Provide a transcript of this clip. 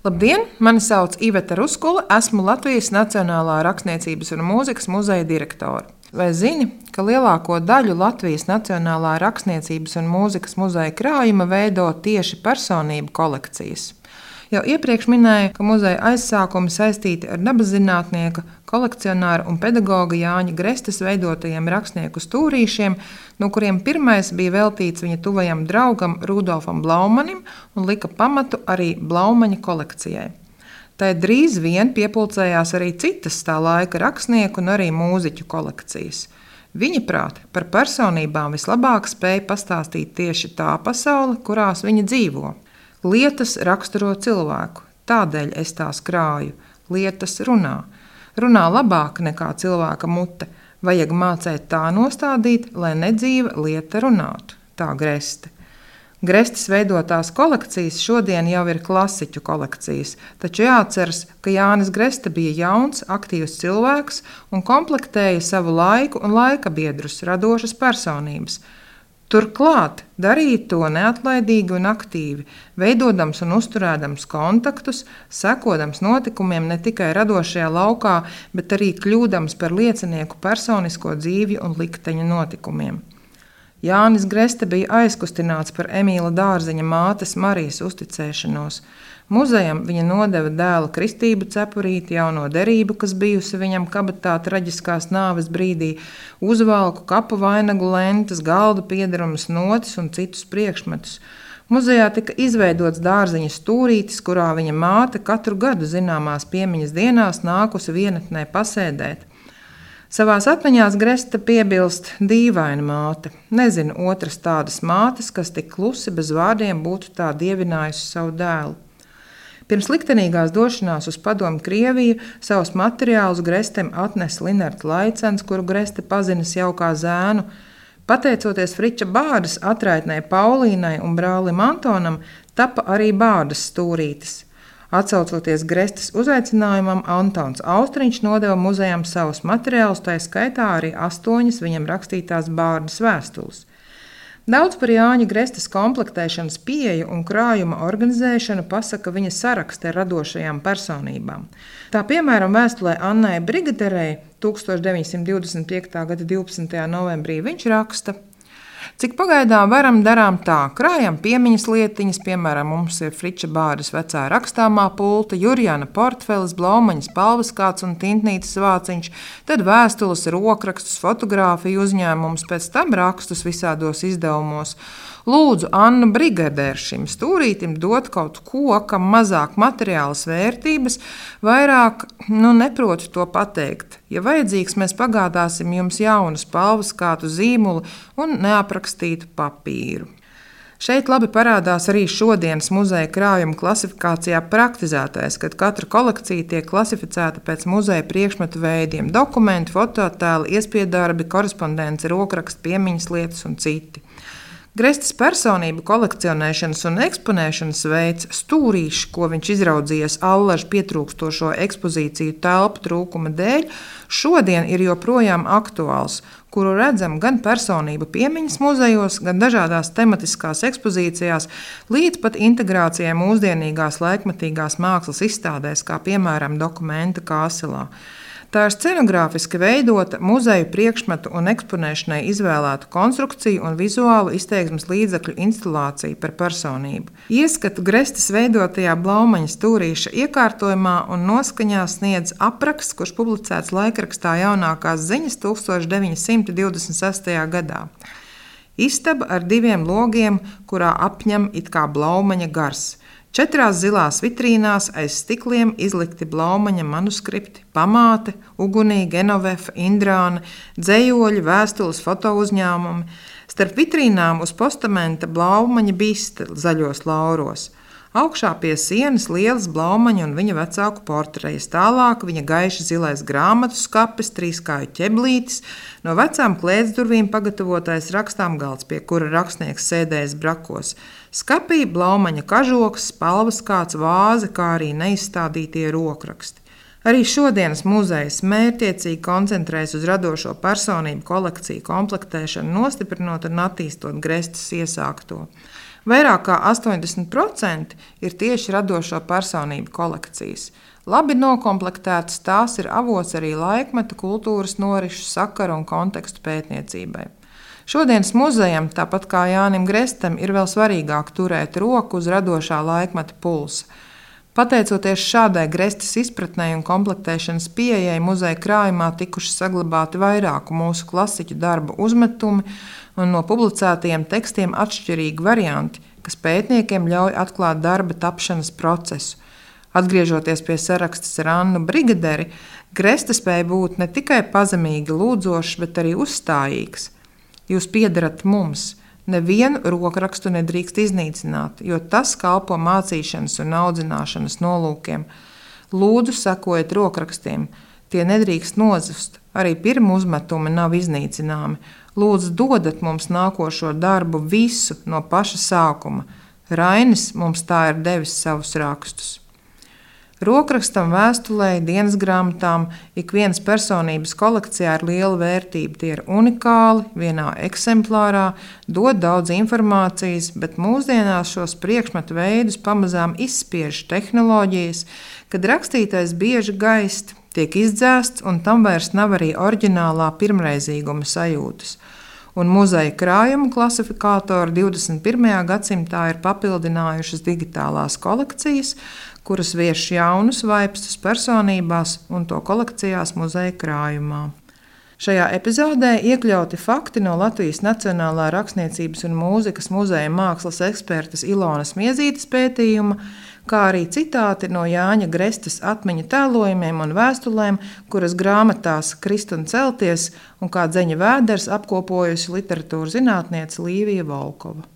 Labdien! Mani sauc Iveta Ruskula, esmu Latvijas Nacionālā rakstniecības un mūzikas muzeja direktore. Vai zini, ka lielāko daļu Latvijas Nacionālā rakstniecības un mūzikas muzeja krājuma veido tieši personību kolekcijas? Jau iepriekš minēju, ka muzeja aizsākumi saistīti ar dabaszinātnieka, kolekcionāra un pedagoga Jāņa Grestes veidotajiem rakstnieku stūrīšiem, no kuriem pirmais bija veltīts viņa tuvajam draugam Rudolfam Blaumanim un lika pamatu arī Blaumaņa kolekcijai. Tai drīz vien piepulcējās arī citas tā laika rakstnieku un arī mūziķu kolekcijas. Viņa prāt, par personībām vislabāk spēja pastāstīt tieši tā pasaule, kurās viņa dzīvo. Lietas raksturo cilvēku, tādēļ es tās krāju. Lietas runā. Runā labāk nekā cilvēka mute. Vajag mācēt tā nostādīt, lai nedzīva lieta runātu. Tā Greste. Grestes veidotās kolekcijas šodien jau ir klasiķu kolekcijas, taču jāatceras, ka Jānis Greste bija jauns, aktīvs cilvēks un komplektēja savu laiku un laikabiedrus, radošas personības. Turklāt darīja to neatlaidīgi un aktīvi, veidodams un uzturēdams kontaktus, sekodams notikumiem ne tikai radošajā laukā, bet arī kļūdams par liecinieku personisko dzīvi un likteņa notikumiem. Jānis Greste bija aizkustināts par Emīla Dārziņa mātes Marijas uzticēšanos. Muzejam viņa nodeva dēla kristību cepurīti, jauno derību, kas bijusi viņam kabatā traģiskās nāves brīdī, uzvalku, kapu vainagu lentas, galdu piederumus, notis un citus priekšmetus. Muzejā tika izveidots Dārziņa stūrītis, kurā viņa māte katru gadu zināmās piemiņas dienās nākusi vienatnē pasēdēt. Savās atmiņās Greste piebilst dīvaina māte. Nezinu otras tādas mātes, kas tik klusi bez vārdiem būtu tā dievinājusi savu dēlu. Pirms liktenīgās došanās uz Padomju Krieviju savus materiālus Grestem atnesa Linards Laicens, kuru Greste pazinis jau kā zēnu. Pateicoties Friča Bārdas atraitnei Paulīnai un brālim Antonam, tapa arī Bārdas stūrītis. Atsaucoties Grestes uzaicinājumam, Antons Austriņš nodeva muzejam savus materiālus, tā skaitā arī 8 viņam rakstītās Bārdas vēstules. Daudz par Jāņa Grestes komplektēšanas pieeju un krājuma organizēšanu pasaka viņa sarakste ar radošajām personībām. Tā piemēram vēstulē Annai Brigaderei 1925. gada 12. novembrī viņš raksta: Cik pagaidām varam, darām tā. Krājam piemiņas lietiņas, piemēram, mums ir Friča Bārdas vecā rakstāmā pulta, Jurjana portfelis, Blaumaņas palvaskāts un tintnītes vāciņš, tad vēstules, rokrakstus, fotogrāfiju uzņēmumus, pēc tam rakstus visādos izdevumos. Lūdzu Annu Brigaderu šim stūrītim dot kaut ko, kam mazāk materiālas vērtības, vairāk, neprotu to pateikt. Ja vajadzīgs, mēs pagādāsim jums jaunu palvaskātu zīmuli un neaprakstītu papīru. Šeit labi parādās arī šodienas muzeja krājuma klasifikācijā praktizētais, kad katra kolekcija tiek klasificēta pēc muzeja priekšmetu veidiem – dokumenti, fototēli, iespiedarbi, korespondence, rokraksti, piemiņas lietas un citi. Grestes personību kolekcionēšanas un eksponēšanas veids, stūrīši, ko viņš izraudzījies allažu pietrūkstošo ekspozīciju telpu trūkuma dēļ, šodien ir joprojām aktuāls, kuru redzam gan personību piemiņas muzejos, gan dažādās tematiskās ekspozīcijās, līdz pat integrācijai mūsdienīgās laikmetīgās mākslas izstādēs, kā piemēram Dokumenta Kāselā. Tā ir scenogrāfiski veidota muzeju priekšmetu un eksponēšanai izvēlētu konstrukciju un vizuālu izteiksmes līdzekļu instalāciju par personību. Ieskatu Grestes veidotajā Blaumaņa stūrīša iekārtojumā un noskaņā sniedz apraksts, kurš publicēts laikrakstā Jaunākās ziņas 1926. gadā. Istaba ar 2 logiem, kurā apņem it kā Blaumaņa gars. 4 zilās vitrīnās aiz stikliem izlikti Blaumaņa manuskripti, pamāte, ugunī, Genovefa, Indrāna, dzejoļi, vēstules, fotouzņēmumi. Starp vitrīnām uz postamenta Blaumaņa biste zaļos lauros. Augšā pie sienas lielas Blaumaņa un viņa vecāku portrejas, tālāk viņa gaiši zilais grāmatu skapis, 3-kāju ķeblītis, no vecām klētsdurvīm pagatavotais rakstām galds, pie kura rakstnieks sēdējis brakos. Skapī Blaumaņa kažoks, palvaskāts, vāze, kā arī neizstādītie rokraksti. Arī šodienas muzejs mērķiecīgi koncentrējas uz radošo personību kolekciju komplektēšanu, nostiprinot un attīstot Grestes iesākto. Vairāk kā 80% ir tieši radošo personību kolekcijas. Labi nokomplektētas tās ir avots arī laikmeta, kultūras norišu, sakaru un kontekstu pētniecībai. Šodienas muzejam, tāpat kā Jānim Grestam, ir vēl svarīgāk turēt roku uz radošā laikmeta pulsa. Pateicoties šādai Grestas izpratnei un komplektēšanas pieejai, muzeja krājumā tikuši saglabāti vairāku mūsu klasiķu darbu uzmetumi un no publicētajiem tekstiem atšķirīgi varianti, kas pētniekiem ļauj atklāt darba tapšanas procesu. Atgriežoties pie sarakstes ar Annu Brigaderi, Gresta spēja būt ne tikai pazemīgi lūdzošs, bet arī uzstājīgs. Jūs piederat mums. Nevienu rokrakstu nedrīkst iznīcināt, jo tas kalpo mācīšanas un audzināšanas nolūkiem. Lūdzu, sekojiet rokrakstiem. Tie nedrīkst nozust. Arī pirmu uzmetumi nav iznīcināmi. Lūdzu, dodat mums nākošo darbu visu no paša sākuma. Rainis mums tā ir devis savus rakstus. Rokrakstam, vēstulei, dienas grāmatām ikvienas personības kolekcijā ir liela vērtība. Tie ir unikāli, vienā eksemplārā, dod daudz informācijas, bet mūsdienās šos priekšmetu veidus pamazām izspiež tehnoloģijas, kad rakstītais bieži gaist, tiek izdzēsts un tam vairs nav arī oriģinālā pirmreizīguma sajūtas. Un muzeja krājumu klasifikātori 21. gadsimtā ir papildinājušas digitālās kolekcijas, kuras vieš jaunus vaipstus personībās un to kolekcijās muzeja krājumā. Šajā epizodē iekļauti fakti no Latvijas Nacionālā rakstniecības un mūzikas muzeja mākslas ekspertes Ilonas Miezītes pētījuma, kā arī citāti no Jāņa Grestas atmiņu tēlojumiem un vēstulēm, kuras grāmatās Krist un celties un kā Dzeņa Vēders apkopojusi literatūras zinātniece Līvija Volkova.